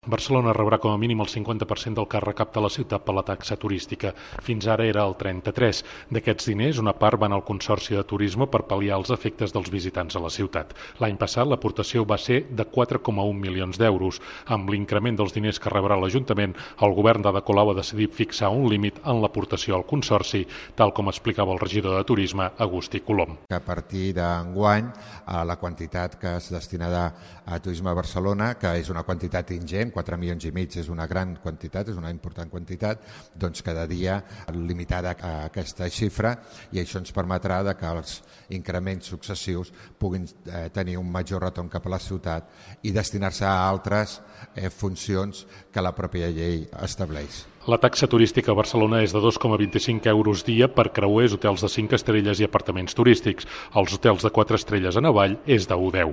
Barcelona rebrà com a mínim el 50% del que recapta la ciutat per la taxa turística. Fins ara era el 33%. D'aquests diners, una part van al Consorci de Turisme per pal·liar els efectes dels visitants a la ciutat. L'any passat l'aportació va ser de 4,1 milions d'euros. Amb l'increment dels diners que rebrà l'Ajuntament, el govern d'Ada Colau ha decidit fixar un límit en l'aportació al Consorci, tal com explicava el regidor de Turisme, Agustí Colom. A partir d'enguany, la quantitat que es destinarà a Turisme a Barcelona, que és una quantitat ingent, 4 milions i mig és una gran quantitat, és una important quantitat, doncs cada dia limitada a aquesta xifra, i això ens permetrà que els increments successius puguin tenir un major retorn cap a la ciutat i destinar-se a altres funcions que la pròpia llei estableix. La taxa turística a Barcelona és de 2,25 euros dia per creuers, hotels de 5 estrelles i apartaments turístics. Els hotels de 4 estrelles en avall és de 1,10.